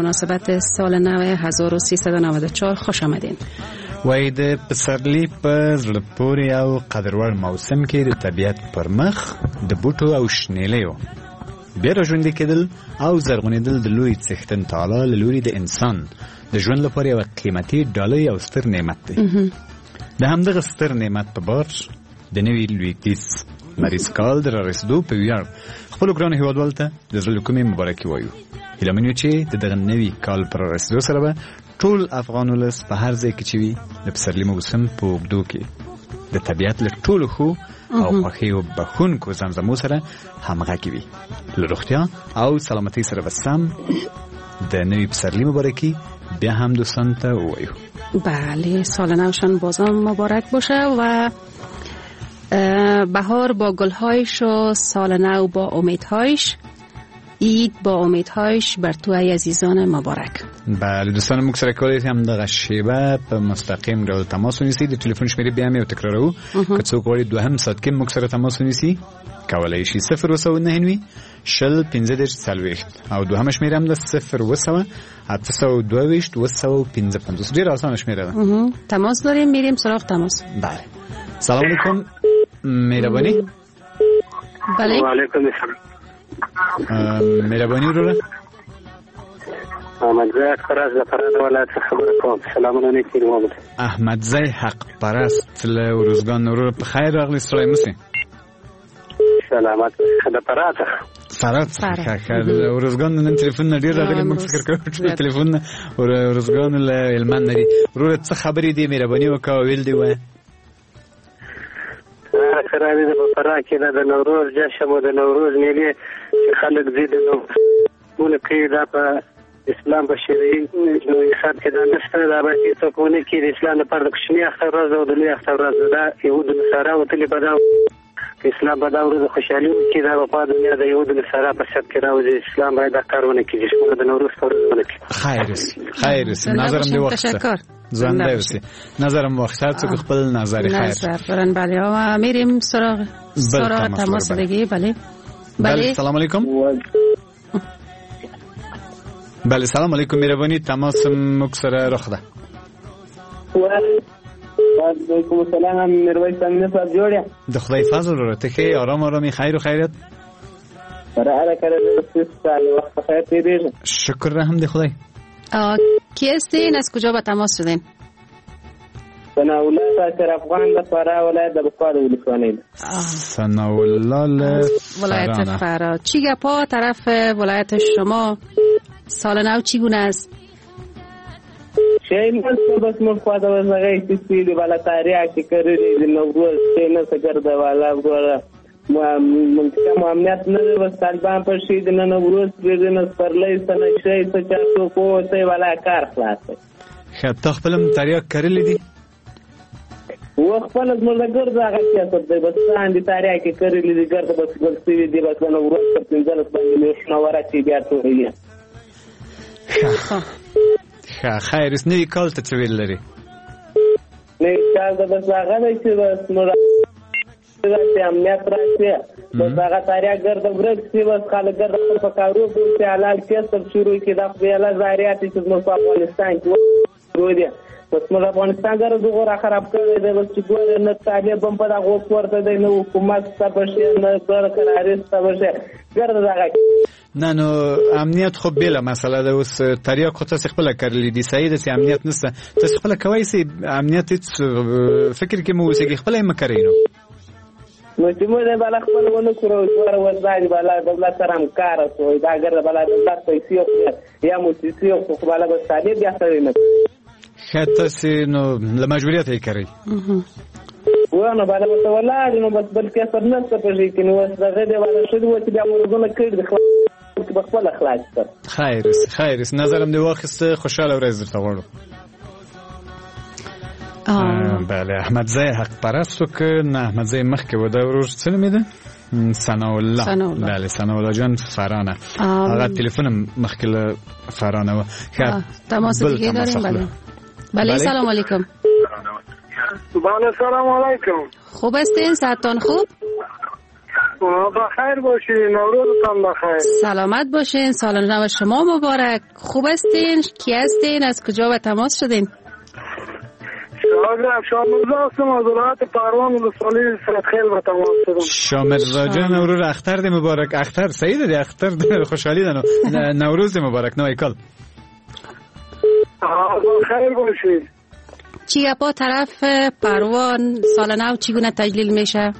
مناسبت سال نو 1394 خوش آمدین. وای د پسرلی په زړه پورې او قدرور موسم کې د طبیعت پر مخ د بوټو او شنیلیو بیا راژوندي کېدل او زرغونېدل د لوی څښتن تعالی له لوري د انسان د ژوند لپاره یوه قیمتي ډالۍ او ستر نعمت دی. د همدغه ستر نعمت په بار د نوي لوېدیځ لمریز کال د رارسېدو په ویاړ خپلو ګرانو هیوادوالو ته د زړه له کومې مبارکي وایو. هیله من یو چې د دغه نوي کال پر رارسېدو سره به ټول افغان ولس په هر ځای کې چې وي د پسرلي موسم په اوږدو کې د طبیعت له ټولو ښو او خوښیو بښونکو زمزمو سره همغږي وي. له روغتیا او سلامتۍ سره به سم د نوي پسرلي مبارکي بیا هم دوستان ته ووایو. بله، سال نوشان بازم مبارک باشه و بهار با گلهایش و سال نو با امیدهایش، عید با امیدهایش بر تو ای عزیزان مبارک. بله دوستان، موږ سره کولای شئ همدغه شیبه په مستقیم ډول تماس ونیسئ. د ټلیفون شمېرې بیا هم یو تکراروو، که څوک غواړي دوهم ساعت کې موږ سره تماس ونیسي کولای شي 099 شل 15 40 او دوهمه شمېره هم ده 0 822 855. ډېره اسانه شمېره ده. تماس داریم، میریم سراغ تماس. بله، سلام علیکم، مهرباني. بله، وعلیکم السلام. مهرباني وروره. احمدزی حق پرست د فراه ولایت څخه خبره کوم. سلامونه نیکي محمد. احمدزی حق پرست له ارزګان. وروره په خیر راغلی، ستړی مه سې. سلامت. د فراه څخه. فراه څخه. ښه، د ارزګان نن تلیفون نه ډېر راغلي، موږ فکر کوو چې تلیفون ارزګان له هلمند نه دي. وروره څه خبرې دي، مهرباني وکړه ویل دي وایه. خرابې ده په فراه کې د نوروز جشن او د نوروز میلې چې خلک ځي د نوروز کوي، دا په اسلام په شرعي حساب کې دا نشته. دا باید هېڅوک ونه کړي. د اسلام لپاره د کوچني اختر ورځ او د لوی اختر ورځ ده. دا یهود نصارا وتلي په دا اسلام په دا ورځ خوشحالي وکړي، دا په دنیا د یهود نصارا په سب کې راوځي. اسلام باید دا کار ونه کړي، چې د نوروز په ورځ ونه کړي. خیر اوسې، خیر اوسې. نظرم دې واخیسته. تشکر. زنده اوسې. نظرم واخیسته، هر څوک خپل نظر. خیر. نظر دارن. بله، میریم سراغ تماس دیگه. بله بله، سلام علیکم. بله سلام علیکم، مهرباني تماس موږ سره رخ ده. وعلیکم السلام، میرویس امین صاحب جوړ یم؟ د خدای فضل وروره، ته ښه یې؟ آرام آرامي، خیر و خیریت؟ سره کړه، وخت په خیر تېرېږي. شکر رحم د خدای. کی هستین؟ از کجا به تماس شدین؟ ثناءالله شاکر افغان د فراه ولایت د بخار ولسوالۍ. ثناءالله له ولایت فراه. چی گپا طرف ولایت شما؟ سال نو چگونه است؟ شی نه بس موږ خو د هغه چې دی والا تاریخ چې کړی دی نوروز شی نه څه ګرځه والا وروره منطقه مو امنیت نه دی، بس طالبان پر شي د نوروز پرېږدي نه سپرلی څه نه شی څه چا څوک ووتی والا کار خلاص دی. ښه، تا خپل هم تریاک کرلي دي؟ و خپل زموږ د ګرځه هغه سیاست دی، بس لاندې تریاک یې کرلي دي، ګرځه بس ګل سوي دي، بس د نوروز تر 15 باندې میاشتونه ورسي بیا ټولوي. ښه، خیر اوس. نوي کال ته څه ویل لري؟ نوي کال ته بس هغه دی چې بس موږ راشي، امنیت راشي، بس هغه تاریخ ګرده ورک شي، بس خلک ګرده خپل په کارو بوخت شي، حلال کسب شروع کړي. دا خو بېله ضایعات دي چې زموږ په افغانستان کې شروع دي. بس موږ افغانستان ګرده دغو را خراب کړی دی. بس چې ګورې نه طالب هم په دغو پورته دی، نه حکومت شته به شي، نه ګر کراري شته به شي، ګرده دغه. نه نو امنیت خو بېله مسله ده. اوس تریاک خو تاسې خپله کرلي دي، صحیح ده چې امنیت نشته، تاسې خپله کوی سئ امنیت، هېڅ فکر کې مه اوسېږئ، خپله یې مه کرئ. نو نو چې موږ یې بالا خپل ونه کړو، ګوره اوس دا دي بالا دولت سره همکاره شو، دا ګرده بالا دولت پیسې خوري یا موسسې خو خو بالا بس طالب بیا سړی نه. ښه، تاسې نو له مجبوریته یې کرئ؟ و نو بالا ورته ولاړ نو بس بل کسب نشته په ژۍ کې. نو اوس دغه دی بالا ښه دي اوس بیا ورزونه کړي دي، به خپله خلاص کړ. خیر اوسې، خیر اوسې. نظرم دې واخیسته، خوشحاله ورځ درته غواړو. بله، احمدزی حق پرست و که نه احمدزی مخکې و، دا ورور څه نومېده؟ ثناءالله. بله، ثناءالله جان فرانه. هغه تلیفون هم مخکې له فرانه و. ښه، تماس دیگه داریم. بله بله، سلام علیکم. بله سلام علیکم. خوب هستین؟ صحتتان خوب؟ بخیر باشین، نوروزتان بخیر. سلامت باشین، سال نو شما مبارک. خوب هستین؟ کی هستین؟ از کجا به تماس شدین؟ شامرزا هستم از ولایت پروان ولسوالی سرخیل به تماس شدم. شامرزا جان ورور اختر دی مبارک. اختر سعید دی، اختر دی خوشحالی ده، نوروز دی مبارک، نوی کال. بخیر باشین. چی گپا طرف پروان سال نو چگونه تجلیل میشه؟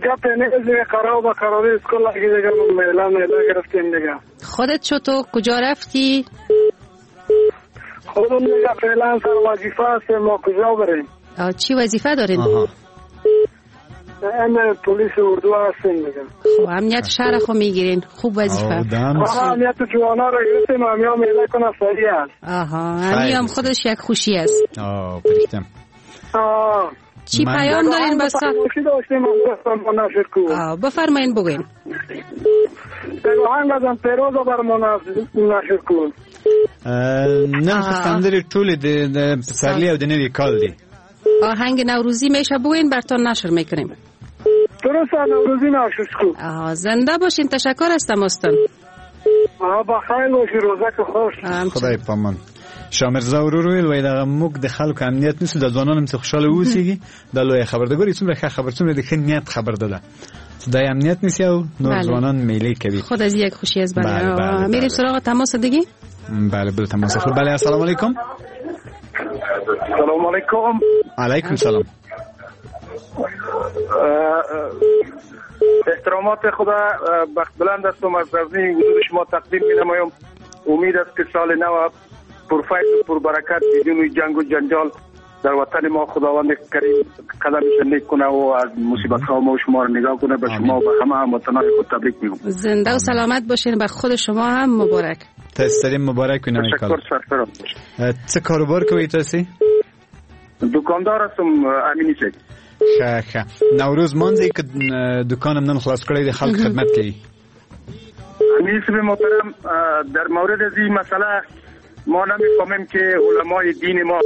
گپ نیست، قرار به قراری اسکول دیگه میله میله گرفتیم دیگه. خودت چطور؟ کجا رفتی؟ خودم دیگه فعلا سر وظیفه هستیم، ما کجا بریم؟ چی وظیفه دارین؟ ام پلیس اردو هستیم دیگه. خب امنیت شهر خو میگیرین، خوب وظیفه. امنیت جوانا رو گرفتیم، امیا میله کنه سریع است. آها، هم خودش یک خوشی است. پریختم. چی پیام دارین بس؟ بفرمایین بگوین. آهنگ ازم پیروز بر ما نشر کن. نن خو سندرې ټولې د پسرلي او د نوي کال دي. آهنگ نوروزی میشه بگوین برتان نشر میکنیم. درست، نوروزی نشر کن. زنده باشین، تشکر از تماستان. بخیر باشی، روزک خوش. خدای پامان. شامرزا ورور ویل وای دغه موږ د خلکو امنیت نیسو، د ځوانانو هم چې خوشحاله اوسېږي، دا لویه خبر ده. ګوري څومره ښه خبر، څومره د ښه نیت خبر ده. دا امنیت نیسي او نور ځوانان میلې کوي. خود از یک خوشی است. بله. میریم سراغ تماس دیگه. بله بله تماس خود. بله السلام علیکم. سلام علیکم. علیکم سلام. احترامات خدا بخت بلند هستم از غزنی حضور شما تقدیم می‌نمایم. امید است که سال نو پرفیض و پربرکت بدون جنگ و جنجال در وطن ما خداوند کریم قدمش نیک کنه و از مصیبت ها ما و شما رو نگاه کنه. به شما و به همه هموطنان خود تبریک میگم. زنده و سلامت باشین، به خود شما هم مبارک. تسلیم مبارک. تشکر، سرفراز. څه کاروبار کوي تاسو؟ دکاندار هستم امینی صاحب. ښه ښه. نوروز مانځئ که دکان هم نن خلاص کړی د خلک خدمت کوي؟ امینی صاحب محترم، در مورد از این مسئله ما نمیفهمیم که علمای دین ما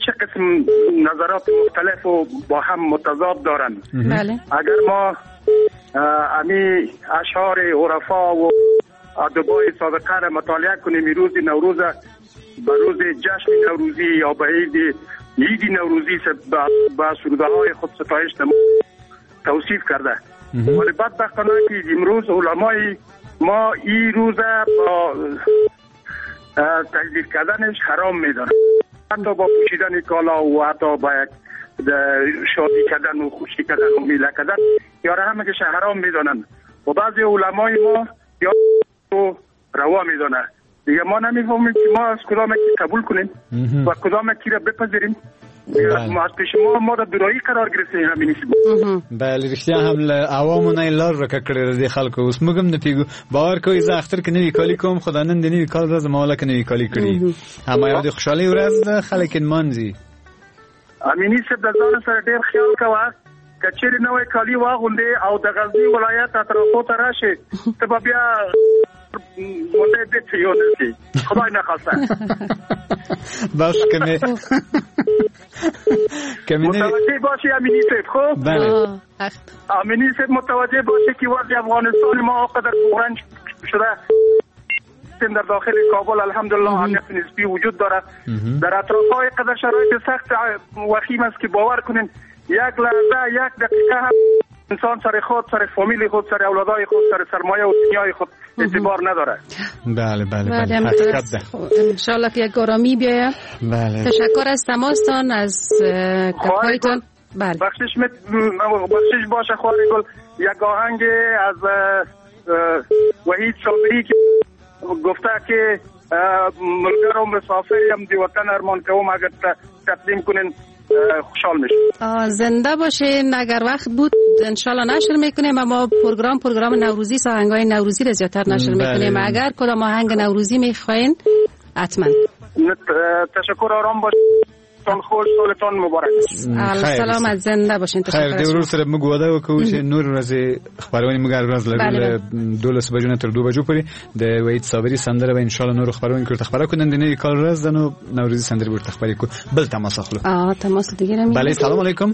چه قسم نظرات مختلف و با هم متضاد دارند. بله. اگر ما امی اشعار عرفا و ادبای سابقه را مطالعه کنیم، روز نوروز به روز جشن نوروزی یا به عید نوروزی با سرودهای خود ستایش توصیف کرده، ولی بدبختانه که امروز علمای ما این روز با تجلیل کردنش حرام میدانند، حتی با پوشیدن کالا و حتی با یک شادی کردن و خوشی کردن و میله کردن یا همه که حرام میدانند و بعضی علمای ما یا روا میدانند. دیگه ما نمیفهمیم که ما از کدام یکی قبول کنیم و کدام یکی را بپذیریم. ما از پیش ما د درایي قرار گرفتیم. همین بله رښتیا هم له عوامو نه لار ورکه کړې د خلکو. اوس موږ هم نه پوهېږو. باور کوئ زه اختر کې نوي کالي کوم، خو دا نن د نوي کال ورځ ما لکه نوي کالي کړي. اما یو د خوشحالۍ ورځ ده، خلک یې نمانځي. امیني صاحب د ځان سره ډېر خیال کوه، که چېرې نوی کالي واغوندې او د غزني ولایت اطرافو ته راشې، ته به بیا مونده بیت یو نسی، خدای نخواسته. بس کمی متوجه باشی امینی صاحب. خب بله امینی صاحب متوجه باشی که وضع افغانستان ما آقدر بحران شده. در داخل کابل الحمدلله امنیت نسبی وجود داره، در اطراف های قدر شرایط سخت وخیم است که باور کنین یک لحظه یک دقیقه هم انسان سر خود، سر فامیل خود، سر اولادای خود، سر سرمایه و دنیای خود اعتبار نداره. بله بله بله حقیقت ده. ان شاء الله که یک آرامی بیاید. بله تشکر از تماستان، از گپ‌هایتان. بله بخشش باشه خواهر گل. یک آهنگ از وحید صابری که گفته که ملګرو مسافر یم دی وطن ارمان کوم، اگر تقدیم کنین خوشحال میشم. زنده باشین. اگر وقت بود انشالله نشر میکنیم، اما پروگرام نوروزی، آهنگای نوروزی را زیادتر نشر میکنیم. اگر کدام آهنگ نوروزی میخواین حتما. تشکر، آرام باشین، خوش سالتان مبارک. سلامت، زنده باشین. تشکر. خیر د ورور سره موږ وعده وکړو چې نور ورځې خپرونې موږ هر ورځ لرو له 12 بجو نه تر 2 بجو پورې. د وحید صابري سندره به انشاءالله نور خپرونې کې ورته خپره کړو. نن د نوي کال ورځ ده، نو نوروزي سندرې به ورته خپرې کړو. بل تماس اخلو. تماس دیگه. بله سلام علیکم.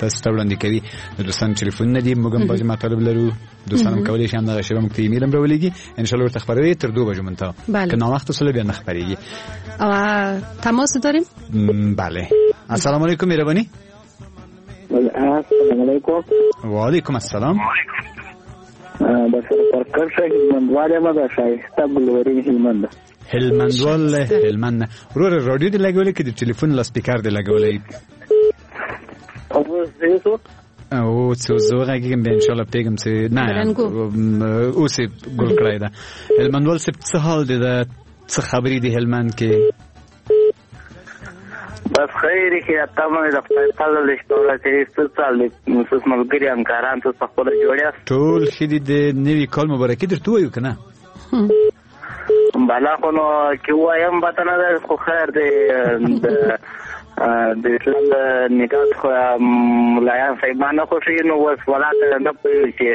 تاسو ته وړاندې کوي. د دوستانو ټلیفونونه دي، موږ هم بعضې مطالب لرو، دوستان هم کولی شي همدغه شیبه موږ ته ایمیل هم راولېږي، ان شاء الله ورته خبروي تر 2 بجو منتها. بله. که ناوخته سره بیا نه خبرېږي. تماس داریم؟ بله. السلام علیکم مهربانی. السلام علیکم. و علیکم السلام. د سرپرکر هلمندوال یم، د ښایسته ګلورین هلمند. هلمندوال هلمند. وروره رادیو دې لګولې که د ټلیفون لاسپیکر دې لګولی؟ او څه زه وغږېږم بیا انشاءالله پوهېږم چې نه اوس یې ګل کړی ده. هلمندوال صاحب څه حال دی ده، څه خبرې دي هلمند کې؟ بس خیر کې تمه د خدای فضل دی چې ورته څه چل دی، څه ملګري همکاران څه خپل جوړ یاست؟ ټول ښه دي. د نوي کال مبارکي درته وایو که نه؟ بلا خو نو کې وایم پته نه ده، خو خیر دی. د اسلام د نکاح خو ملایان صاحبان نه خوښوي، نو اوس ولا ته نه پوهېږو چې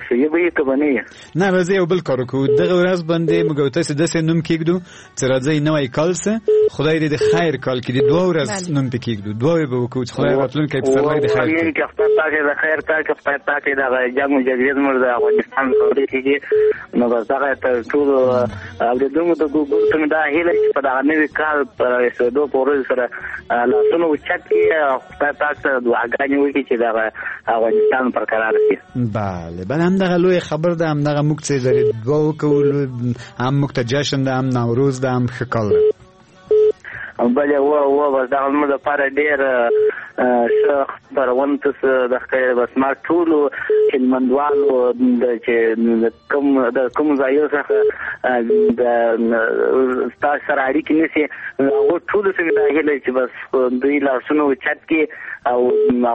صحیح به یې که به نه وي. نه راځئ یو بل کار وکړو، دغه ورځ باندې موږ او تاسې داسې نوم کېږدو چې راځئ نوی کال سه، خدای دې د خیر کال کې د دوه ورځ نوم پې کېږدو، دعاوې به وکړو چې خدای راتلونکی پسرلی د خیر کړي. که خدای پاک د خیر کال کې، خدای پاک دغه جنګ و جګړې زموږ د افغانستان خاورې کېږي، نو بس دغه تر ټولو اورېدونکو ته ګورته مې دا هیله چې په دغه نوي کال په رسېدو په ورځ سره لاسونه اوچت کړي، خدای پاک ته دعاګانې وکړي چې دغه افغانستان برقرار شي. بله بله، همدغه لویه خبر ده، همدغه موږ څه لري دعا وکړو، هم موږ ته جشن ده، هم نوروز ده، هم ښه کال ده. بله و بس دغه زموږ لپاره ډېر ښه خپرونه تاسو د ښکاري. بس ما ټولو هلمندوالو چې د کوم ځایو څخه د ستاسو سره اړیکې نیسي، هغو ټولو څخه دا هیله چې بس دوی لاسونه اوچت کړي او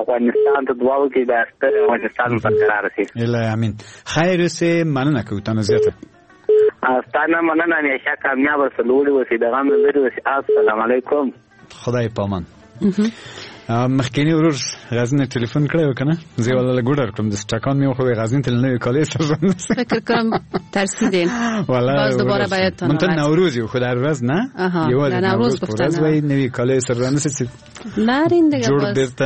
افغانستان ته دعا وکړي، دا ستر افغانستان برقرار شي. الهي امین. خیر اوسې، مننه کوو تاسو زیاته. ستا نه مننه، همیشه کامیاب اوسې، لوړې اوسې، د غم نه لرې اوسې. السلام علیکم. خدای پامان. مخکینی ورور غزنی تلفن کړی و که نه؟ زه یې والله لږ وډار کړم، داسې ټکان مې وخوړ، غزنی ته له نوي کالې سره ژوند فکر کنم ترسیدین. باز دوباره باید تا منتها نوروز یو خو در ورځ نه، یوازې نوروز په ورځ وای نوي کالې سره رانیسي چې نرین دیگه جوړ بیرته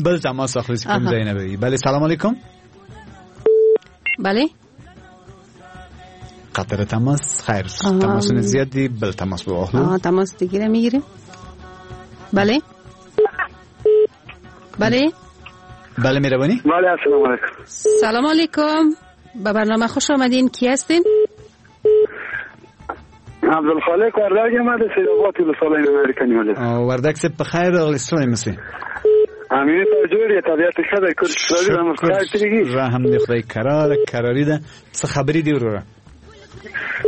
بل تماس اخلي چې کوم ځای نه وي. بله سلام علیکم. بله قطر تماس خیر، تماسونه زیاد دي، بل تماس به واخلو. تماس دیگه میگیریم. بله بله بله مهربانی. بله السلام علیکم. سلام علیکم، به برنامه خوش آمدین. کی هستین؟ عبدالخالق وردک یم، د سیدآباد ولسوالۍ امریکا نیولې. وردک صاحب په خیر راغلی، ستړی مه سې. امین صاحب جوړ یې، طبیعت ښه دی؟ کور شکر رحم دی خدای، کراره کراري ده. څه خبرې دي وروره؟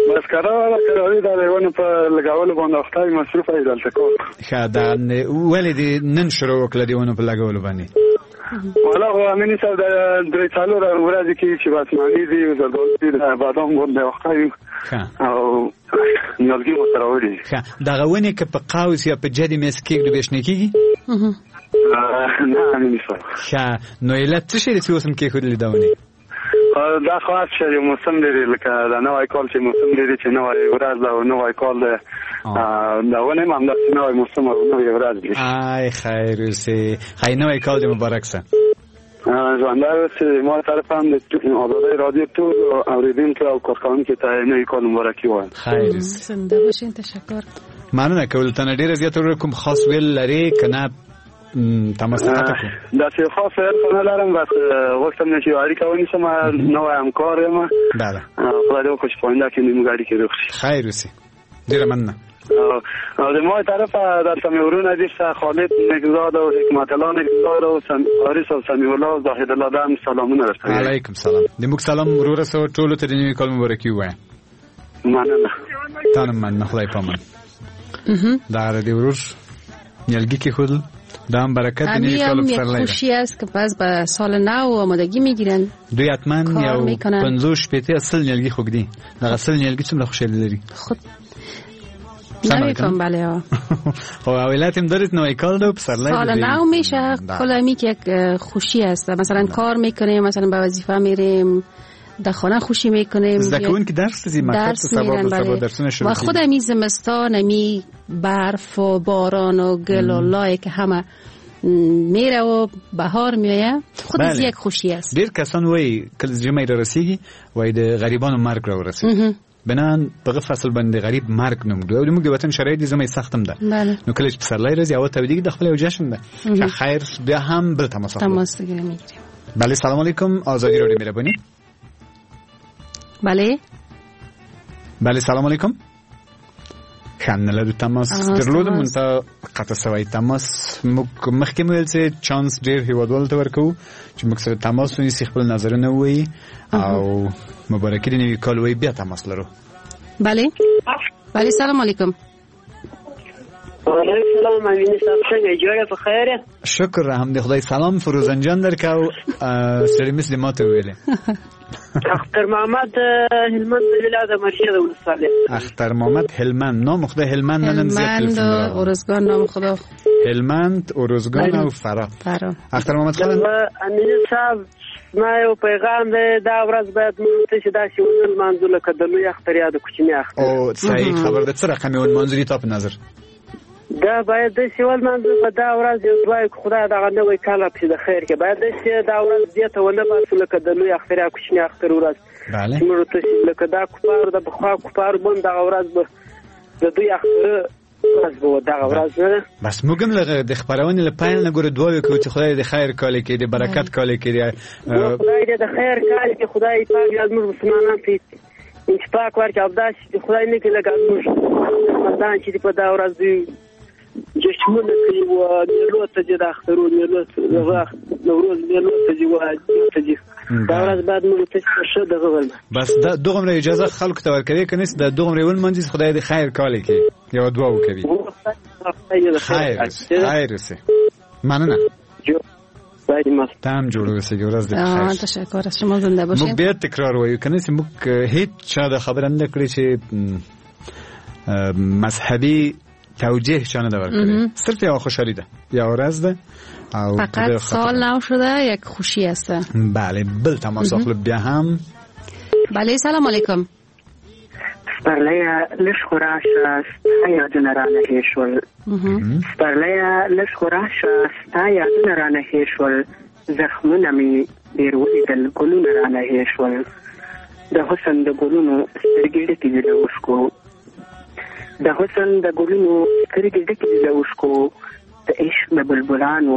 بس کراره کراري ده، د ونو په لګولو باندې اخته یم، مصروف یم دلته کار. ښه ده، ولې دې نن شروع وکړه د ونو په لګولو باندې؟ والا خو امیني صاحب د 3-4 ورځې کېږي چې بس مڼې دي، زردالو دي، بادام باندې اخته یو او نیالګي مو سره راوړي. ښه، دغه ونې که په قوس یا په جدي میز کېږدو بیا شنې کېږي؟ نه امیني صاحب. ښه، نو علت څه شی دی چې اوس هم کېښودلې دا ونې؟ دا خو هر څه یو موسم لري، لکه دا نوی کال چې موسم لري چې نوی ورځ ده او نوی کال دی، دا ونې هم همداسې نوی موسم او نوې ورځ دي. آی خیر اوسې، خیر نوی کال دې مبارک شه. ژوندی اوسې. ما طرف هم د ازادۍ رادیو ټول اورېدونکو او کارکوونکو ته نوی کال مبارکي وایم. خیر اوسې، زنده باشین. تشکر. مننه کول تنه ډېره زیاته. وروره کوم خاص ویل لرې که نه تماس قطع کړو؟ داسې خاص ویل خو نه لرم، بس غوښتم چې یو اړیکه ونیسم، نوی همکار یم. بله، خدای دې وکړي چې په آینده کې موږ اړیکې روغ شي. خیر اوسې، ډېره مننه. او د ما طرفه دلته مې ورونه دي، خالد نګزاد او حکمت الله نګزاد او حارث او سمیع الله او زاهد الله، دا هم سلامونه درته. علیکم سلام. د موږ سلام وروره سو ټولو ته د نوي کال مبارکي ووایه. مننه. تا نه مننه، خدای پامان. دا د ورور نیالګي کېښودل، دا هم برکت د نوي کال پسرلی ده. خوشی است که باز به سال نو آمادگی میگیرن. دوی حتما یو 50 سل نیالګي خو ږدي. دغه سل نیالګي څومره خوشحالي لري؟ خود نمیفهم. بله خب علت هم دارید نوی کال ده و پسرلی سال نو میشه، کل همی که یک خوشی است. مثلا کار میکنیم، مثلا به وظیفه میریم، در خانه خوشی میکنیم، زده کوونکي درس ته ځي، مکتب ته سبا درسونه شروع و خود همی زمستان، همی برف و باران و گل و لای که همه میره و بهار میایه، خود از یک خوشی است. ډیر کسان وایي کله چې ژمی رارسیږي وایي د غریبانو مرګ راورسېد. بنان په فصل باندې غریب مرګ نوم دی او موږ د وطن شرایط دي زموږ سخت هم ده. نو کله چې پسرلی راځي او تودیږي د خپل یو جشن ده. خیر بیا هم بل تماس تماس میگیریم. بله سلام علیکم، آزادی رادیو مهربانی. بله بله سلام علیکم. خان لرو تماس درلود مونته قطع سوی تماس. موږ مخکې مو ویل چې چانس ډیر هیوادوالو ته ورکوو چې موږ سره تماس ونیسي، خپل نظرونه ووایي او مبارکي د نوي کال وایي، بیا تماس لرو. بله بله سلام علیکم. وعلیکم سلام، امیني صاحب څنګه جوړ په خیر؟ شکر هم د خدای. سلام فروزان جان درکاو سړي مثل ما ته ویلې. اختر محمد هلمند ولایت د مرشد ولسوالۍ. اختر محمد هلمند، نام خدا هلمند نن زیات ارزگان، نام خدا هلمند، ارزگان او فراه. اختر محمد خان امیني صاحب ما یو پیغام دی، دا ورځ باید موږ ته چې داسې ونه لمانځو لکه د لوی اختر یا د کوچني اختر. او صحیح خبر ده. څه رقم یې ولمانځو تا په نظر؟ دا باید داسې ولمانځو په دا ورځ یو دعا وکړو خدای دغه نوی کال راپسې د خیر کې، باید داسې دا ورځ دې ته ونه باسو لکه د لوی اختر یا کوچني اختر ورځ. بله موږ ته لکه دا کفار د پخوا کفار بند دغه ورځ به د دوی اختر ورځ به دغه ورځ نه. بس موږ هم د خپرونې له پیل نه ګوره دعا وکړو چې خدای د خیر کال کې، د برکت کال کې، خدای دې د خیر کال کې خدای پاک زموږ مسلمانان ته اتفاق ورکړي او داسې خدای نه کړي لکه زموږ مسلمانان چې په دا ورځ دوی جشنونه کوي او میلو ته ځي، د اخترو میلو ته، نوروز میلو ته ځي، ته ځي. دا ورځ باید موږ ته ښه دغه ولمانځو. بس دا دغومره اجازه خلکو ته ورکوي که نه دا دغومره ولمانځي خدای دې خیر کال کې یوه دعا وکوي. خیر خیر اوسې، مننه. تم جوړ اوسې، ورځ دې بخیر. تشکر از شما، زنده باشین. موږ بیا تکرار وایو که نه چې موږ هیڅ چا دا خبره نه کړې چې مذهبي توجیه چا نه ده ورکړې، صرف یو خوشحالي ده، یو ورځ ده او فقط سال نو شده یک خوشی است. بله بل تماس اخلو بیا هم. بله سلام علیکم. سپرلیه لږ خو راشه ستا یادونه رانه هېر شول. سپرلیه لږ خو راشه ستا یادونه رانه هېر شول، زخمونه مې ډېر ولیدل ګلونه رانه هېر شول، د حسن د ګلونو سترګې ډکې دي له اوښکو، د حسن د ګلونو سترګې ډکې دي له اوښکو، د عشق د بلبلانو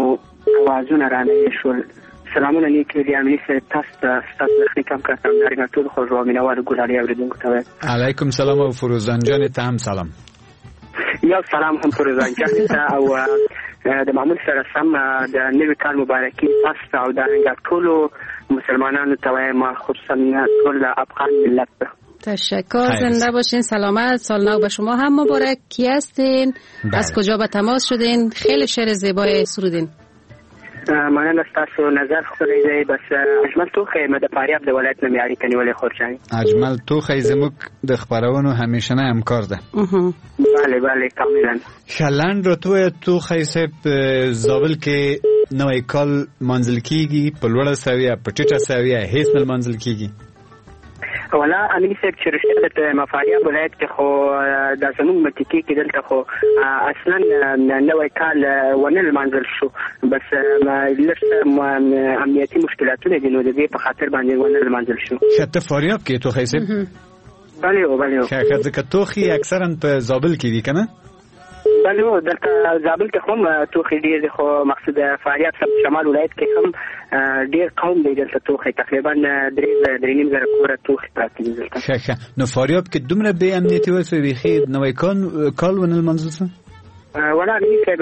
اوازونه رانه هېر شول. سلامونه نیکې دي امیني صاحب، تاسو ته، ستاسو د خدمت کار ته، همدارنګه ټولو خوږو او مینهوالو ګلالي اورېدونکو ته وایم. علیکم سلام او فروزان جان ته هم سلام. یو سلام هم فروزان جان ته او د معمول سره سم د نوي کال مبارکي تاسو ته او دارنګه ټولو مسلمانانو ته وایم، خصوصا ټول افغان ملت ته. تشکر، زنده باشین، سلامت. سال نو به شما هم مبارک. کی هستین؟ از کجا به تماس شدین؟ خیلی شعر زیبای سرودین. مننه، ستاسو نظر ښکلی دی. بس اجمل توخی یم، د فاریاب د ولایت نه مې اړیکه نیولې خور جانې. اجمل توخی زموږ د خپرونو همیشنی همکار ده. بله بله کاملا. ښه لنډ راته ووایه توخی صاحب، زابل کې نوی کال لمانځل کیږي په لوړه سویه، په ټیټه سویه، هیڅ نه لمانځل کیږي؟ ولا امیني صاحب چې رښتیا درته وایم، فاریاب ولایت کې خو دا زموږ منطقې کې دلته خو اصلا نوی کال ونه لمانځل شو، بس لږ څه امنیتي مشکلاتونه دي نو د دې په خاطر باندې ونه لمانځل شو. ښه ته فاریاب کې توخی صاحب؟ بله بله. ښه ځکه توخی اکثرا په زابل کې وي که نه؟ بله دلته زابل کې هم توخی ډېر دی، خو مقصود فاریاب سب شمال ولایت کې هم ډېر قوم دی دلته توخی، تقریبا 3.5 زره کوره توخی پراته دي دلته. ښه ښه، نو فاریاب کې دومره بې امنیتي وسوه بیخي نوی کال ونه لمانځل شو؟ ولا امیني صاحب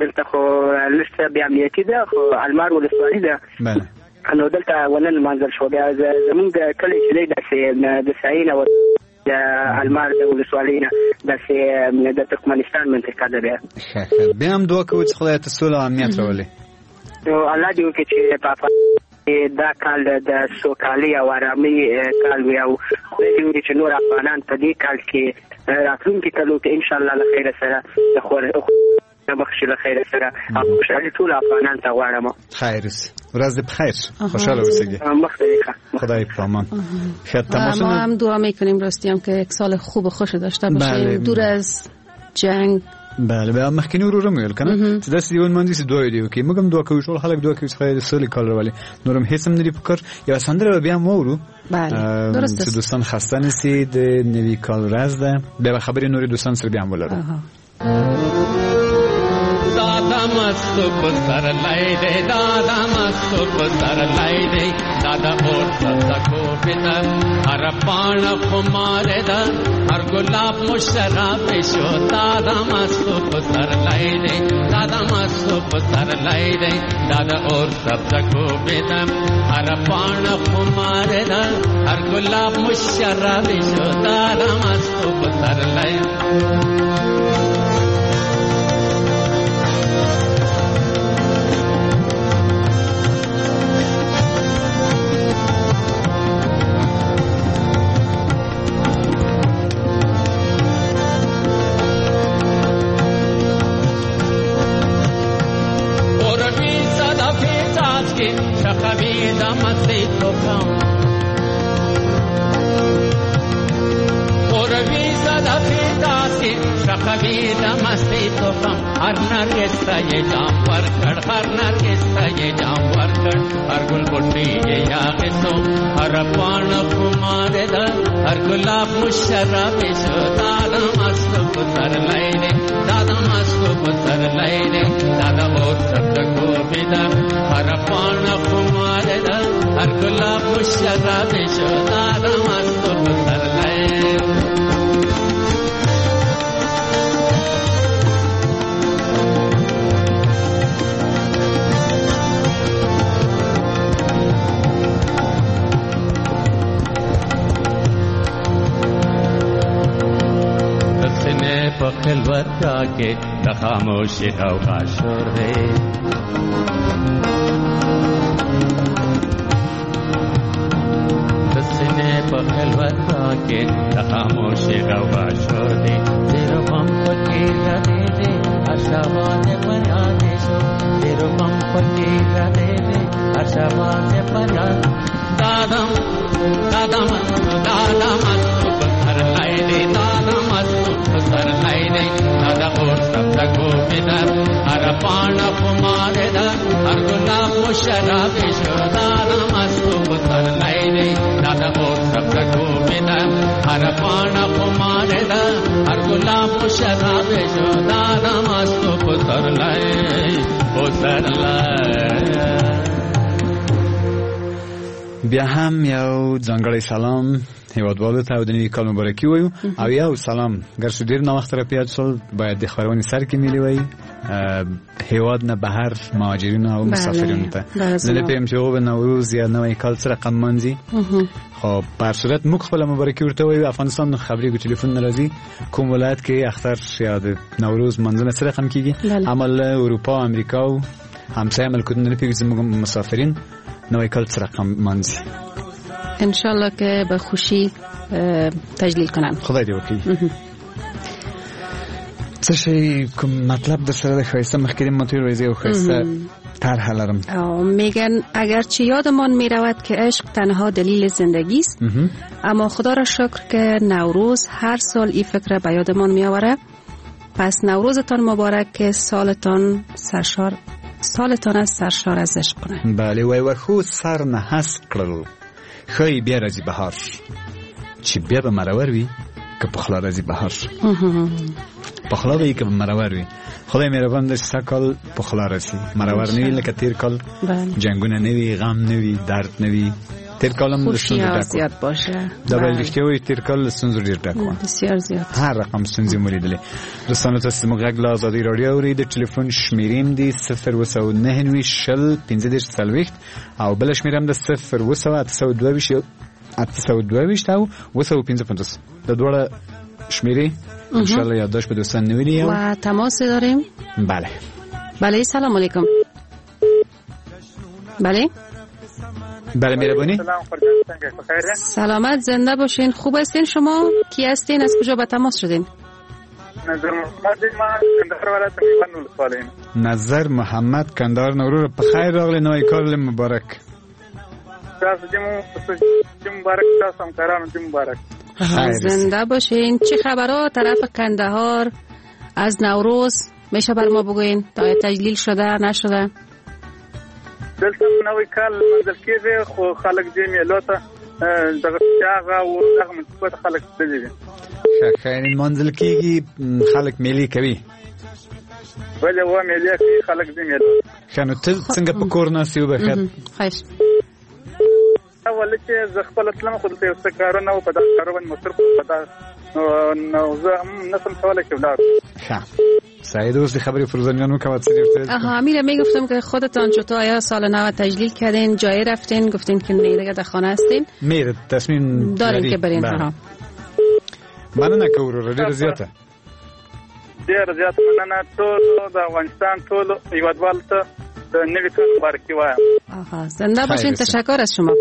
دلته خو لږ څه بې امنیتي ده، خو المار ولسوالي ده. بله نو دلته ونه لمانځل شو. بیا زمونږ کلی چې دی داسې د ساحې نه د المار د ولسوالۍ نه داسې د ترکمنستان منطقه ده. بیا ښه ښه، بیا هم دعا کوو چې خدای ته سوله او امنیت راولي. نو الله دې وکړي چې په افغانستان دا کال د سوکالۍ او آرامۍ کال وي، او خدای دې وکړي چې نور افغانان په دې کال کې راتلونکي کلو کې انشاءالله له خیره سره د مخ شي له خیره سره او خوشحالي ټول افغانان ته غواړم. خیر اوسې، ورځ دې په خیر، خوشحاله اوسئ. مخ دې ښه، خدای په امان. ما هم دعا میکنیم راستی هم که یک سال خوب و خوش داشته باشیم، دور از جنگ، بله بیا مخکینی ورور مې ویل کنه چې داسې دی ونمانځي چې دوه دی وکي موږ هم دعا کوو، ټول خلک دعا کوي چې خدای دې سولې کال راولي. نور هم هیڅ هم نه دي پکار. یوه سندره به بیا هم واورو. بله درست چې دوستان خسته نه سي، د نوي کال ورځ ده، بیا به خبرې نورې دوستان سره بیا هم ولرو. دادا مست پسرلی دی، دادا مست پسرلی دی، دادا اور سبزه کوبیده، هر پاڼه خماره ده، هر ګلاب مشرب شو. دادا مست پسرلی دی، دادا مست پسرلی دی، دادا اور سبزه کوبیده، هر پاڼه خماره ده، هر ګلاب مشرب شو. دادا مست پسرلی. خاموشی غوغا شور دی، د سینې په خلوت کې د خاموشي غوغا شور دی، زیر غم پکې ردی دی، اشابات فریاد شو، زیر غم پکې ردی دی، اشابات فریاد. دادا دادا مست دادا مست پسرلی دی، دادا مست پسرلی دی، دادا اور سبزه کوبیده، هر پاڼه خماره ده، هر ګلاب مشرب شو. دادا مست پسرلی دی، دادا اور سبزه کوبیده، هر پاڼه خماره ده، هر ګلاب مشرب شو. دادا مست پسرلی پسرلی. بیا هم یو ځانګړی سلام هیوادوالو ته او د نوي کال مبارکي وایو. او یو سلام ګرچې ډېر ناوخته را پیاد شول، باید د خپرونې سر کې ملي وای، هیواد نه بهر مهاجرینو او مسافرینو ته. زه نه پوهېږم چې هغه به نوروز یا نوی کال څه رقم لمانځي، خو په هر صورت موږ خپله مبارکي ورته وایو. افغانستان نه خبرېږو، ټلیفون نه راځي کوم ولایت کې اختر یا د نوروز لمانځنه څه رقم کېږي. اما له اروپا، امریکا او همسایه ملکونو نه پوهېږو چې زموږ مسافرین نوی کال څه رقم لمانځي. انشالله که به خوشی تجلیل کنن. خدای دې وکړي. څه شی کوم مطلب در سره د ښایسته مخکې ماته ویل یو ښایسته طرح لرم. میگن اگرچه یادمان میرود که عشق تنها دلیل زندگی است، اما خدا را شکر که نوروز هر سال این فکر به یادمان میآوره. پس نوروزتان مبارک که سالتان سرشار سالتان از سرشار از عشق کنه. بله وای وخو سر نه هست کړل، ښایي بیا راځي بهار، چې بیا به مرور وي که پخلا راځي بهار. پخلا به که مرور وي. خدای مهربان دی چې سږ کال پخلا راسي، مرور نه وي لکه تیر کال. جنگونه نه وي، غم نه وي، درد نه وي. تیر کال هم ستونزو ډک زیات باشه. دا باید رښتیا وایي، تیر کال ستونزو ډېر ډک وه، بسیار زیات، هر رقم ستونزې مو لیدلې. دوستانو تاسو زموږ غږ له ازادي راډیو اورئ. د ټلیفون شمېرې هم دي 099 20 15 40 او بله شمېره هم ده 0 822 822 او 955. دا دواړه شمېرې انشاءالله یادداشت به دوستان نیولي. و تماس داریم. بله بله، سلام علیکم. بله بله مهربانی. سلامت، زنده باشین. خوب هستین شما؟ کی هستین؟ از کجا به تماس شدین؟ نظر محمد ما کندهار ولایت میوند ولسوالۍ. نظر محمد کندهار نورور په خیر راغلی، نوی کال مبارک. تاسو دې مبارک، تاسو همکارانو دې مبارک. زنده باشین. چه خبرها طرف کندهار از نوروز میشه بر ما بگوین تا تجلیل شده نشده؟ دلته نوی کال لمانځل کېږي، خو خلک دې میلو ته دغه هغه او دغه منطقو ته خلک تللي دي. ښه، لمانځل کېږي، خلک میلې کوي. بله و میلې کوي، خلک دې میلو. ښه، نو ته څنګه په کور ناست یې؟ وبخښه. خیر. اول چې زه خپله تلم، خو دلته یو څه کارونه وو، په دغه کارو باندې مصروف وم، په دغه نو زه هم نشم کولی چې ولاړ. ښه، سعید اوس خبری فروزان جان وکوه څه دې. آها، امیر میگفتم که خودتان چطور آیا سال نو تجلیل کردین، جای رفتین؟ گفتین که نه دیگه در خانه هستین. میر تصمیم دارین که برین. ها، مننه کوو وروره، ډېره زیاته. ډېره زیاته مننه. ټول د افغانستان ټول هیوادوالو ته د نوي کال مبارکي وایم. آها، زنده باشین. تشکر از شما.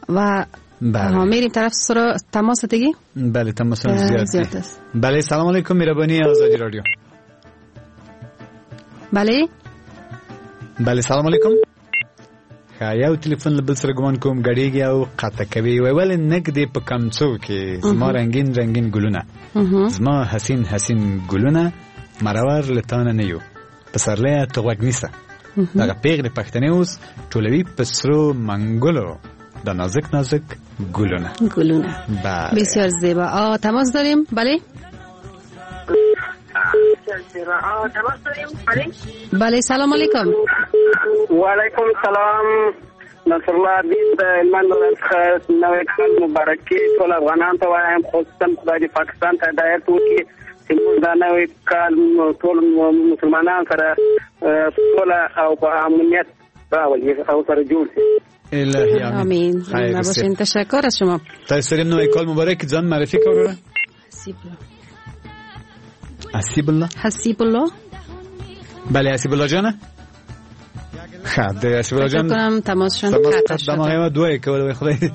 و بله. میریم طرف سر تماس دیگه. بله، تماس زیاد است. بله، سلام علیکم، مهربانی آزادی رادیو. بله بله، سلام علیکم. ښه، یو تلیفون له بل سره ګمان کوم ګډیږي او قطع کوي. وای ولې نږدې په کمڅو کې زما رنگین رنگین ګلونه، زما حسین حسین ګلونه، مرور له تانه نه یو پسرلی ته غوږ نیسه. دغه پیغلې پښتنې اوس ټولوي په سرو منګولو د نازک نازک ګلونه. ګلونه، بسیار زیبا. تماس داریم. بله بله، سلام علیکم. و علیکم سلام. نصرالله عبید د هلمند ولایت څخه نوی کال مبارکي ټول افغانان ته وایم، خصوصا خدای دې پاکستان ته هدایت وکړي چې موږ دا نوی کال ټول مسلمانان سره سوله او په امنیت راولي او سره جوړ شي. الهی آمین. زنده باشین. تشکر از شما. تاسو نوی کال مبارک. ځان معرفي کوئ. حسیب الله. حسیب الله. حسیب الله. بله، حسیب الله جانه. ښه، د حسیب الله جان کنم تماس شون قطع شد. دماغه ما دوه کول. وای خدای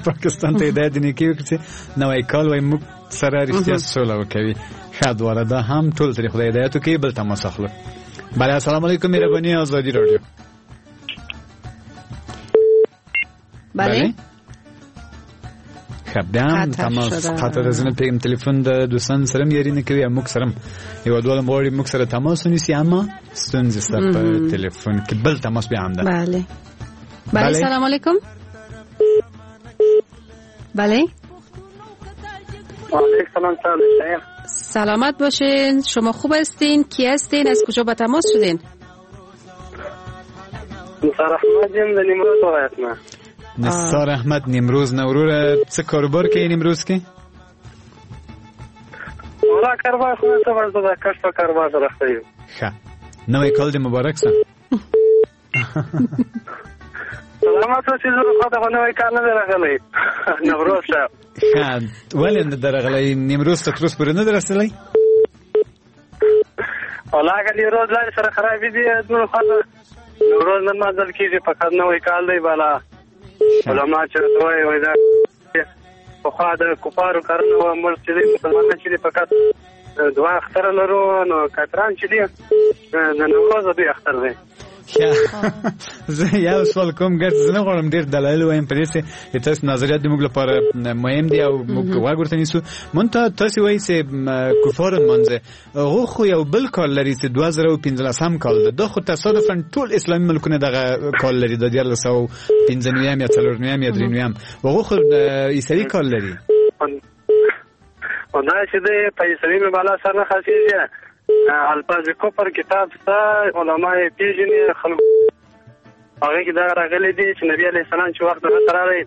پاکستان ته هدایت دې نیکي وکړي چې نوی کال وای موږ سره رښتیا سوله وکوي. ښه، دواړه دا هم ټول ترې خدای هدایت وکړي. بل تماس اخلو. بله، السلام علیکم، مهرباني ازادي رادیو. بله. ښه، بیا هم تماس قطع ده. زه نه پوهېږم تلیفون د دوستان سره هم یاري نه کوي، موږ سره هم هېوادوال هم غواړي موږ سره تماس ونیسي، اما ستونزې شته په تلیفون کې. بل تماس بیا هم ده. بله بله، سلام علیکم. بله، علیکم سلام. سلامت باشین. شما خوب هستین؟ کی هستین؟ از کجا با تماس شدین؟ نثار احمد یم د نیمروز ولایت نه. نثار احمد نیمروز نه. وروره څه کاروبار کوي نیمروز کې؟ ولا کاروبار خو نه څه، زه د کښت په کاروبار سره اخته یم. ښه، نوی کال دې مبارک شه. سلامت اوسې. زه خو ته نوی کال نه دی راغلی نوروز صاحب. ښه، ولې نه دی راغلی؟ نیمروز ته تر اوسه پورې نه دی رسېدلی؟ ولا هغه نیمروز لارې سره خرابې دي، زموږ خوا ته نوروز نه لمانځل کېږي، فقط نوی کال دی. بالا علما چې راته وایي، وایي دا پخوا د کفارو کارونه وه، موږ چې دی مسلمانان چې دي فقط دوه اختره لرو، نو کافران چې دي د نوروز دوی اختر دی. زه یو سوال کوم، ګر زه نه غواړم ډېر دلایل وایم په دې چې تاسو نظریات د موږ لپاره مهم دي او موږ غوږ ورته نیسو. مونږ ته تاسو وایي چې کفار لمانځي، هغه خو یو بل کال لري چې 2015 کال ده، دا خو تصادفاً ټول اسلامي ملکونه دغه کال لري، د 1395 یا 94 یا 93، هغه خو عیسوي کال لري. او دا چې دی په عیسوي مې بالا سر نه خلاصېږي. الفاظ کفر کتاب شته، علما یې پېژني، خلکو هغې کې دا راغلي دي چې نبي علیه السلام چې وخت دغه ته راغی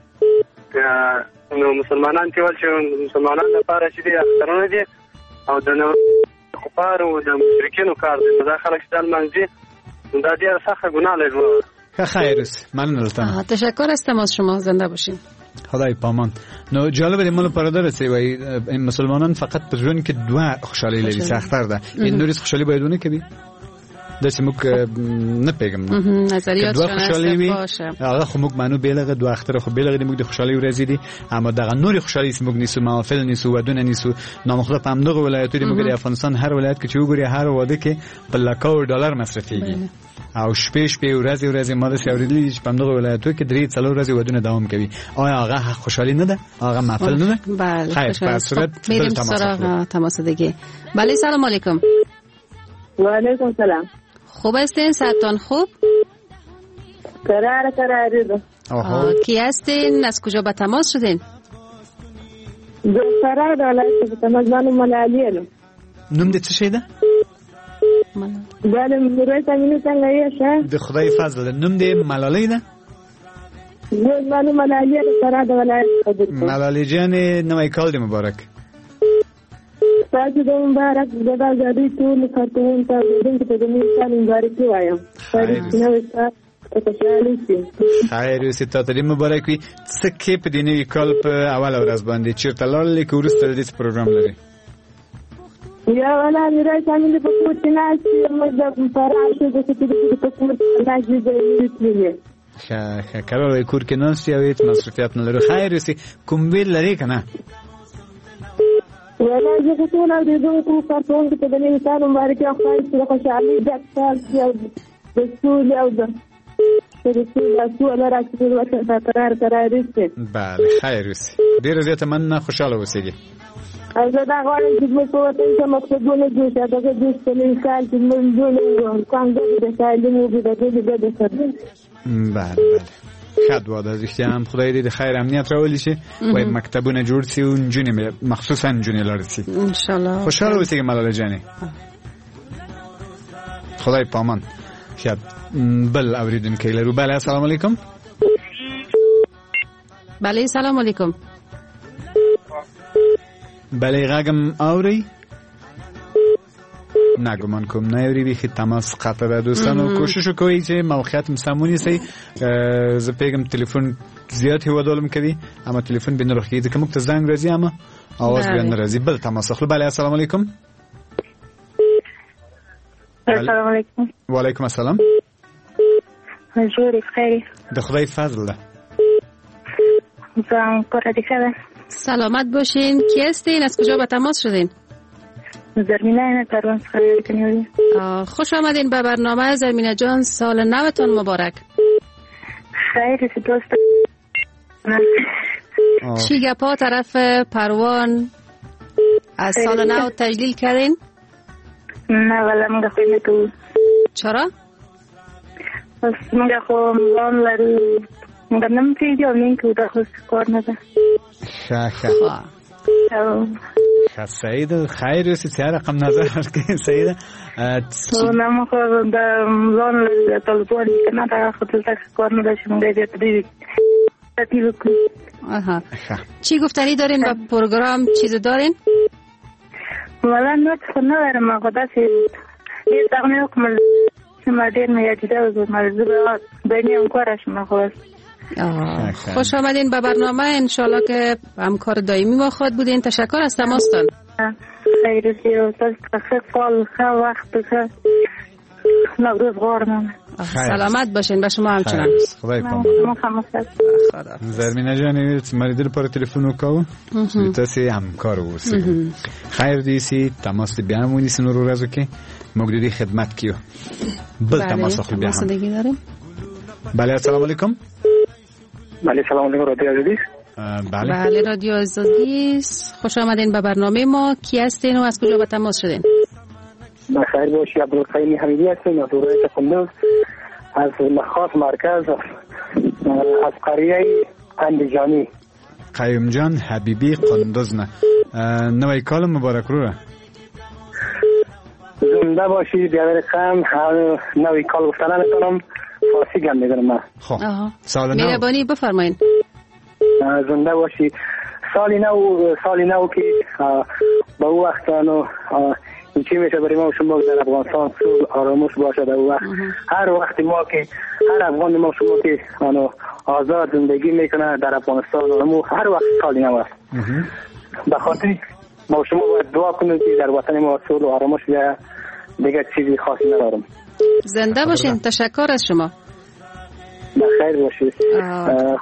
نو مسلمانان چې ول چې مسلمانان لپاره چې دي اخترونه دي او د کفارو د مشرکینو کار دی، نو دا خلک چې دا لمانځي دا ډېره سخته ګناه لري. ښه، خیر اوسې، مننه له تا. تشکر هستم از شما، زنده باشین. خدای پامان. نو جالب دی مال پرادر سی وای مسلمانان فقط په ژوند کې دوه خوشحالي لري، چې اختر ده، این نورې خوشحالي باید ونه کوي. داسې موږ نه پوهېږم نظریات دوه خوشحالي وي، هغه خو موږ منو بېلغه دوه اختر خو بېلغه دي، موږ د خوشحالي ورځې دي، اما دغه نورې خوشحالي چې موږ نیسو، محافل نیسو، ودونه نیسو، نام خدا په همدغه ولایتو دي. موږ د افغانستان هر ولایت کې چې وګوري هر واده کې په لکاو ډالر مصرفېږي. او شپې شپې ورځې ورځې ما داسې اورېدلي دي چې په همدغو ولایتو کې 3-4 ورځې ودونه دوام کوي. آیا هغه خوشحالي نه ده؟ هغه محفل نه ده؟ بله. خیر، په صورت میریم سراغ تماس دیگه. بله، سلام علیکم. و علیکم سلام. خوب هستین؟ صحتتان خوب؟ قرار قراری ده. کی هستین؟ از کجا به تماس شدین؟ د فراه د ولایت په تماس باندې ملالۍ یم. نوم دې څه شی ده؟ بله، میرویس امیني څنګه یې ښه؟ د خدای فضل ده. نوم دې ملالۍ ده؟ زه ملالۍ د فراه د ولایت خبرې کوم. ملالۍ جانې، نوی کال دې مبارک. تاسو د مبارک د ازادۍ ټولو کارکوونکو ته د نوي کال مبارکي وایم. نوی کال خیر اوسې، تا ته دې مبارک وي. څه کې په دې نوي کال په اوله ورځ باندې چېرته لاړلې که وروسته له دې څه پروګرام لرې؟ یا والا میرویس امین په کور کې ناست یم. موږ د فراه ښځو چې په کور کې ناست دي، تللي. ښه ښه، کرار کور کې ناست یې او هېڅ مصروفیت نه لرو. خیر اوسې. کوم ویل لرې که نه؟ والا زه خو ټول اورېدونکو کارکوونکو ته د نوي کال مبارکي او خدای چې د خوشحالۍ ډک کال شي او د سولې او د بله، خیر اوسې. ډېره زیاته مننه، خوشحاله اوسېږئ. زه دا غواړم چې زموږ په وطن کې مکتبونه جوړ شي، دغه جوړ شي نوي کال چې زموږ نجونې هلکان ګډ د تعلیم وکړي، د ګډې ګډې سره. بله بله، ښه دعا ده. رښتیا هم خدای دې د خیر امنیت راولي چې وایي مکتبونه جوړ شي او نجونې مخصوصا نجونې لاړې شي. ان شاء الله. خوشحاله اوسېږئ ملاله جانې، خدای پامان. ښه، بل اوریدونکی لرو. بله، السلام علیکم. بله، سلام علیکم. بله، غږم اوري؟ نه، ګمان کوم نه اوري، بیخي تماس قطع ده. دوستانو کوشش وکړئ چې موقعیت مو سم ونیسئ. زه پوهېږم تلیفون زیات هېوادوال هم کوي، اما تلیفون بیا نه روښ کېږي، ځکه موږ ته زنګ راځي اما آواز بیا نه راځي. بل تماس اخلو. بله، السلام علیکم. السلام علیکم. وعلیکم السلام. جوړ یې؟ خیر د خدای فضل ده. ځان کور دې ښه ده؟ سلامت باشین. کی هستین؟ از کجا به تماس شدین؟ زرمینه پروان څخه نیولې. خوش آمدین به برنامه زرمینه جان، سال نوتان مبارک. خیر دوست. چی گپا طرف پروان از سال نو تجلیل کردین؟ نه والا موږ خو نه کوو. چرا؟ بس موږ خو ځان لرو، موږ نه پرېږدي او نه کوو، دا خو کار نه ده. ښه ښه ښه، صحیح ده. خیر اوسې. څه رقم نظر ورکوې؟ صحیح ده. نه موږ خو د ځان لرو، طالبان که نه، دا خو دلته کار نه ده چې موږ یې بیا ترتیب وکړو. آها، چی گفتنی دارین با پروگرام؟ چیز دارین؟ والا نور خو نه لرم، خو داسې ډېر دغه مې وکړل چې ما ډېر مې یادېده، زه به بینی همکار شم. خو خوش آمدین به برنامه، انشالله که همکار دائمی ما خواهد بودین. تشکر از تماستان. خیر اوسې، تاسو ته ښه کال، ښه وخت، ښه نوروز غواړم. سلامت باشین. به شما همچنان. خدای پامان. زرمینه جان، ما دې لپاره تلیفون وکاو چې تاسو همکار اوسئ. خیر دې سي، تماس دې بیا هم ونیسئ نورو ورځو کې، موږ دې خدمت کیو. بل تماس اخلو بیا هم. بله، السلام علیکم. بله، سلام علیکم. رادیو آزادی. بله بله، رادیو آزادی. خوش آمدین به برنامه ما. کی هستین و از کجا به تماس شدین؟ بخیر باشی. عبدالقیوم حمیدی هستم از ولایت قندوز، از مخاط مرکز، از قریه اندیجانی. قیوم جان حبیبی قندوز نه، نوی کال مبارک وروره. زنده باشی بیادر قم. نوی کال گفتن نمیتونم، فارسی گم میدونم من. خب سال نو مهربانی بفرمایین. زنده باشی. سال نو که به او وقت نو چی میشه برای ما شما در افغانستان صلح آرامش باشه. در وقت هر وقت ما که هر افغان ما شما که آنو آزاد زندگی میکنه در افغانستان، هر وقت سال نو است. به خاطر ما شما باید دعا کنیم که در وطن ما صلح و آرامش بیاید. دیگه چیزی خاصی ندارم. زنده باشین. تشکر از شما. بخیر باشید.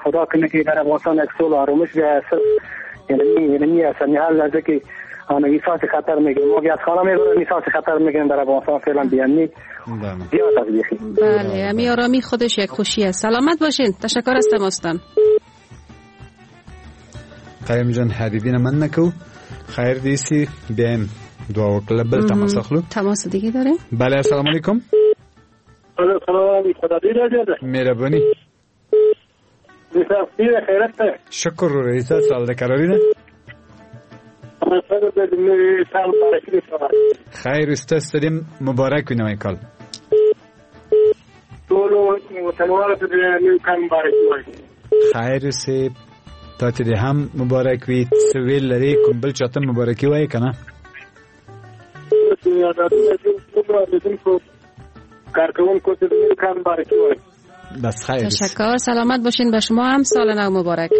خدا کنه که در افغانستان یک صلح و آرامش بیاید. یعنی اصلا هر لحظه که احساس خطر میگیریم. ما از خانه میبرن احساس خطر میگیریم در افغانستان فعلا بی‌امنی زیاد است بیخی. بله، امی آرامی خودش یک خوشی است. سلامت باشین. تشکر از تماستان. قیم جان حبیبی نه مننه کوو. خیر دې سي. بیا هم دعا وکړه. بل تماس اخلو. تماس دیگه داریم. بله، السلام علیکم. سلام، خدا دې. مهرباني. شکر رئیس سال د قراری ده. خیر استاد سلیم مبارک وي نوی کال. ټولو وطنوالو ته د نوي کال مبارک وي. خیر اوسې، تا ته دې هم مبارک وي. څه ویل لرې؟ کوم بل چاته مبارکي وایې که نه؟ کارکوونکو ته د نوي کال مبارکي وایم. بس خیر. تشکر، سلامت باشین. به شما هم سال نو مبارک.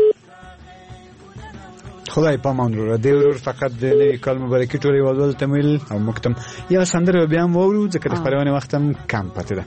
خدای پامان وروره. دې ورور فقط د نوي کال مبارکي ټول هېوادوالو ته ویل او موږ ته یوه سندره به بیا هم واورو، ځکه د خپرونې وخت هم کم پاتې ده.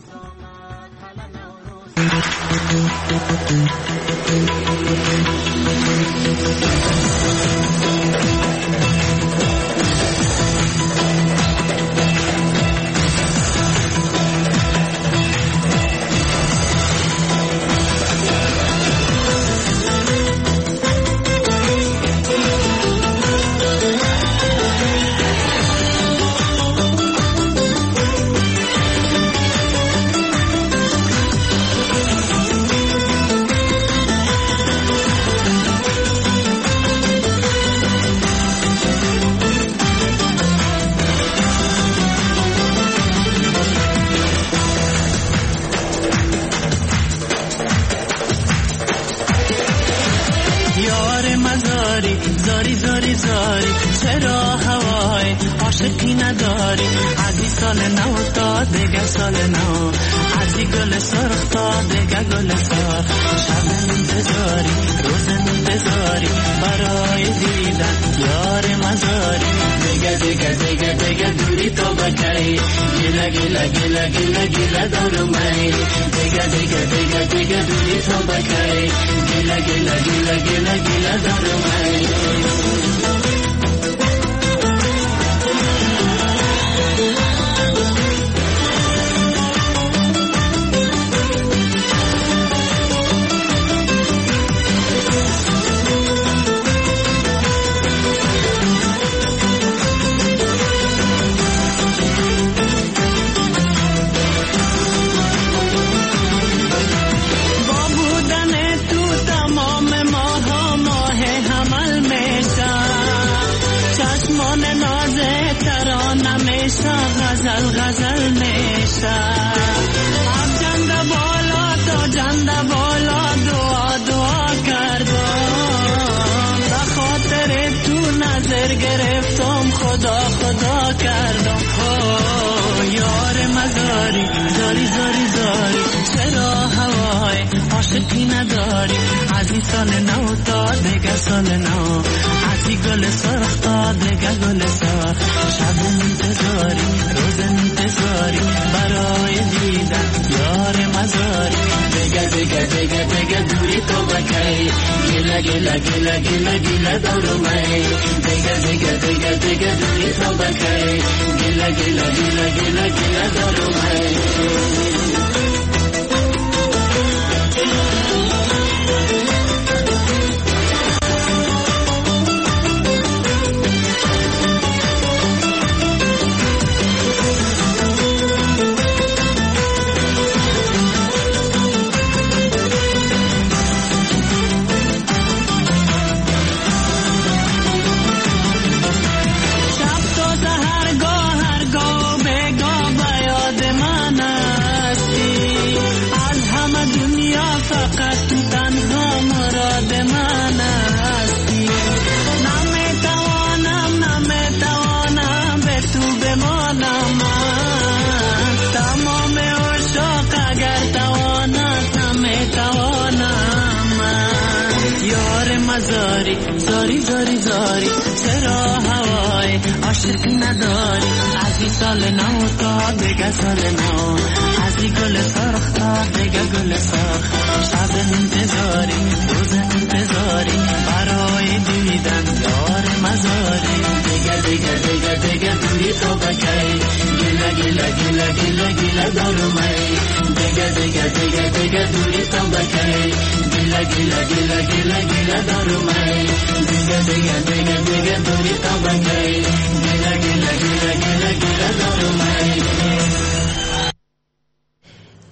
زاری زاری زاری چرا هوای عاشقی نداری؟ از این سال نو تا دیگه سال نو، از این گل سرخ تا دیگه گل سرخ. شب انتظاری روز انتظاری برای دیدن یار مزاری. دیگه دیگه دیگه دیگه دوری تو بکی، گله گله گله گله گله دارم ای. دیگه دیگه دیگه دیگه دوری تو بکی، گله گله گله گله گله دارم ای. غزل غزل میشه اب جند بالا تو جند بالا، دعا دعا کردم به خاطر تو نظر گرفتم، خدا خدا کردم. یار مزاری زاری زاری زاری چرا هوای عاشقی نداری؟ از این سال نو تا دیگه سال نو، از این گل سرخ تا دیگه گل سرخ. شب انتظاری روز انتظاری برای دیدن یار مزاری. دیگه دیگه دیگه دیگه دوری تو بکی، گله گله گله گله گله دارم ای. دیگه دیگه دیگه دیگه دوری تو بکی، گله گله گله گله گله دارم ای. زاری زاری زاری زاری چرا هوای عاشق نداری؟ از این سال نو تا دیگه سال نو، از این گل سرخ تا دیگه گل سرخ. شب انتظاری روز انتظاری برای دیدن یار مزاری دیگه دیگه دیگه دیگه دوری تو بکی گله گله گله گله گله دارم دیگه دیگه دیگه دیگه دوری تو بکی گله گله گله گله گله دارم دیگه دیگه دیگه دیگه دوری تو بکی گله گله گله گله گله دارم.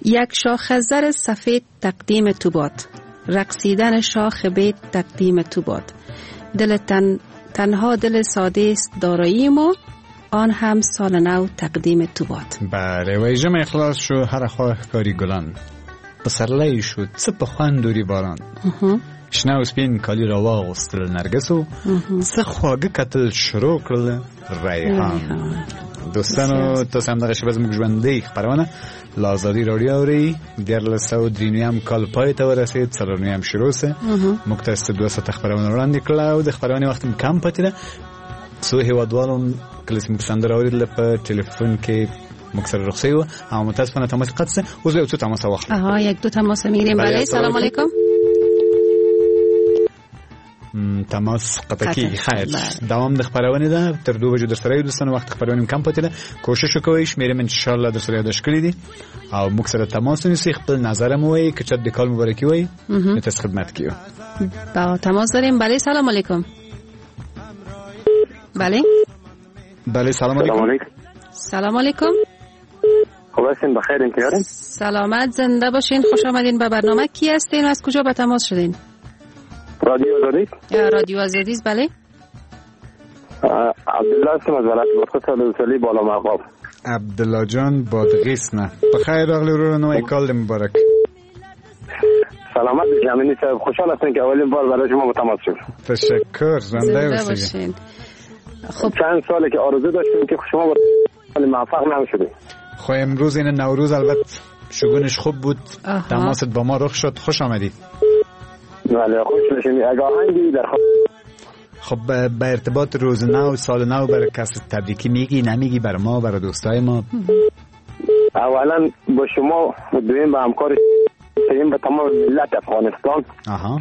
یک شاخ زر سفید تقدیم تو باد، رقصیدن شاخ بید تقدیم تو باد. دل تنها دل ساده است دارایی ما، آن هم سال نو تقدیم تو باد. بله وای ژمی خلاص شو هر خوا ښکاري ګلان، پسرلی شو څه په خوند اوري باران. شنه او سپین کالي را واغوستل نرګسو، څه خواږه کتل شروع کړل ریحان. دوستانو تاسو هم دغه شېبه زموږ ژوندۍ خپرونه له ازادي راډیو اورئ. 1393 کال پای ته ورسېد، 4 شروع سه. موږ تاسو ته 2 ساعته خپرونه وړاندې کړه او د خپرونې وخت هم کم پاتې ده. څو هېوادوالو کله چې موږ سندره اورېدله په ټلیفون کې موږ سره رخصتي وه او متاسفانه تماس قطع سه. اوس یو څو تماس واخلو. آها یک دو تماس میگیریم. بله سلام علیکم. تماس قطع کیږي. خیر دوام د خپرونې ده تر 2 بجو در سره یو دوستانو. وخت خپرونې کم پاتې ده، کوشش وکوئ شمېرې مې انشاءالله در سره یادداشت کړي دي او موږ سره تماس ونیسئ، خپل نظر مو وایئ، که چېرته د کال مبارکي وایئ نو تاسو خدمت کې یو. با تماس داریم. بله سلام علیکم. بله بله سلام علیکم. سلام علیکم. خوب هستین؟ بخیر انتیارین؟ سلامت زنده باشین. خوش آمدین به برنامه. کی هستین و از کجا به تماس شدین؟ رادیو آزادی. رادیو آزادی بله. عبدالله هستم از ولایت بادغیس ولسوالی بالا مرغاب. عبدالله جان بادغیس نه بخیر راغلی وروره، نوی کال دې مبارک. سلامت امینی صاحب، خوشحال هستم که اولین بار برای شما تماس شد. تشکر، زنده باشین. خب چند ساله که آرزو داشتیم که شما موفق نشدیم. خب امروز این نوروز البته شگونش خوب بود، تماست با ما رخ شد. خوش آمدید. بله خوش باشین. اگه آهنگی در خب به ارتباط روز نو سال نو برای کس تبریکی میگی نمیگی؟ بر ما برای دوستای ما؟ اولا با شما دویم به همکار سیم به تمام ملت افغانستان. آها.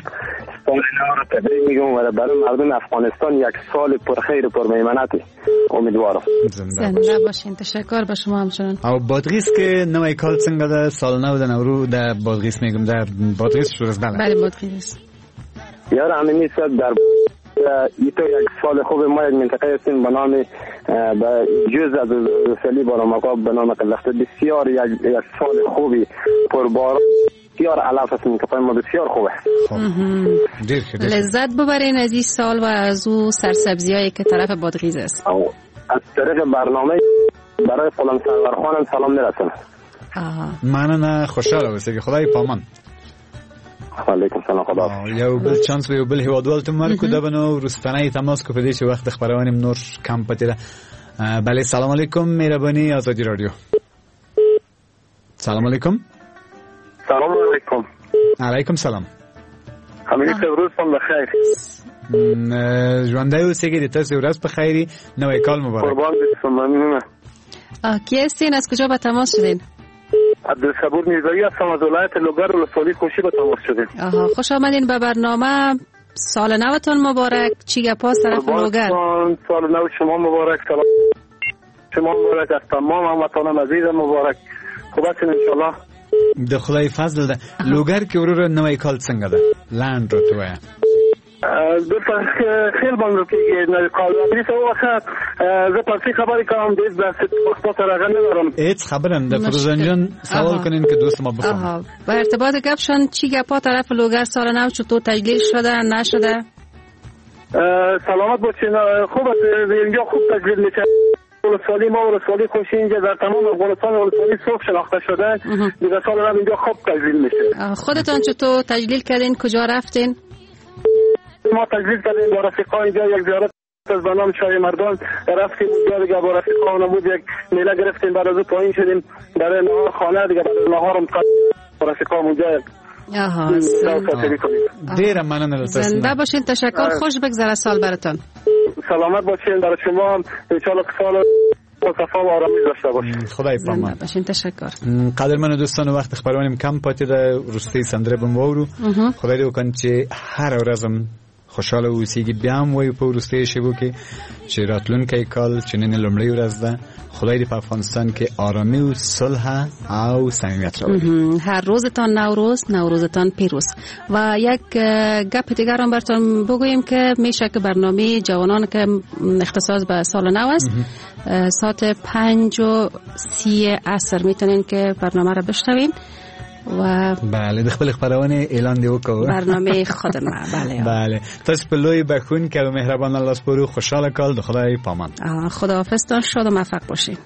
سال نو را تبریک میگم و برای مردم افغانستان یک سال پرخیر و پرمیمنت امیدوارم. زنده باشین. تشکر به شما همچنان. او بادغیس که نوی کال څنګه ده؟ سال نو د نورو د بادغیس میگم، در بادغیس شروع است. بله بادغیس. یار امینی صاحب در ایتو یک سال خوب ما یک منطقه هستیم به نام به جز از سلی بالا مقاب به نام قلخته. بسیار یک سال خوبی پرباران، بسیار علف است منطقه ما، بسیار خوبه. لذت ببرین از این سال و از او سرسبزی هایی که طرف بادغیس است. از طریق برنامه برای غلام سرور خانم سلام میرسونم. مننه، خوشحاله اوسئ. خدای پامان. علیکم سلام. خدا یو بل چانس یو بل هیوادوال ته ورکو. دا به نو وروستنی تماس کو په دې چې وخت خپرونې نور کم پاتې ده. بله سلام علیکم. مهرباني ازادي رادیو. سلام علیکم. سلام علیکم. علیکم سلام. امینی صاحب روزتون بخیر. ژوندی اوسئ. د تاسو ورځ په خیر. نوی کال مبارک. قربان شم. ممنونم. کی هستین؟ از کجا به تماس شدین؟ عبدالصبور میرزایی هستم از ولایت لوگر ولسوالی خوشی به تماس شدیم. آها خوش آمدین به برنامه. سال نوتون مبارک. چی گپا طرف لوگر؟ سال نو شما مبارک. سلام شما مبارک از تمام هموطنان عزیزم مبارک. خوب هستین انشالله؟ د خدای فضل ده. لوګر کې وروره نوی کال څنګه ده؟ لنډ راته ووایه. دلته خیل باندې کېږي نوی کال. څه وخت زه پارسی خبرې کوم، ډېر داسې پښتو سره هغه نه لرم. هیڅ خبره نه ده فروزان جان، سوال کنین که دوست ما بفهمه. با ارتباط گپشان چی گپا طرف لوگر سال نو چطور تجلیل شده نشده؟ سلامت باشین. خوب است، اینجا خوب تجلیل میشه. ولسوالی ما ولسوالی خوشی اینجا در تمام افغانستان ولسوالی سرخ شناخته شده. دیگه سال نو اینجا خوب تجلیل میشه. خودتان چطور تجلیل کردین؟ کجا رفتین؟ ما تجلیل کردیم با رفیقا اینجا یک زیارت از به نام شاه مردان رفتیم اونجا، دیگه با رفیقا بود یک میله گرفتیم، بعد از او پایین شدیم برای نهار خانه، دیگه بعد از نهارم با رفیقا اونجا. آها ډیره مننه له تاسو. زنده باشین. تشکر. خوش بگذره سال براتون. سلامت باشین. برای شما هم ان شاء الله سال صفا و آرامی داشته باشین. خدای پامان باشین. تشکر. قدرمن دوستان وخت خپرونې کم پاتې ده. وروستۍ سندره به مو واورو. خدای دې وکړي چې هره ورځ هم خوشاله اوسیږي. بیا هم وایو په وروستیو شیبو کې چې راتلونکی کال چې نن لومړۍ ورځ ده، خدای دې په افغانستان کې آرامی و صلح او صمیمیت راولي. هر روزتان نوروز، نوروزتان پیروز. و یک گپ دیگر هم براتون بگوییم که میشه که برنامه جوانان که اختصاص به سال نو است، ساعت 5:30 عصر میتونین که برنامه را بشنوین. و بله، د خپل خپرونې اعلان دی وکړو، برنامه خود ما. بله بله، تاسو په لوی بخون کې او مهربان الله سپورو. خوشاله کال، د خدای پامان. خداحافظتان، شاد و موفق باشین.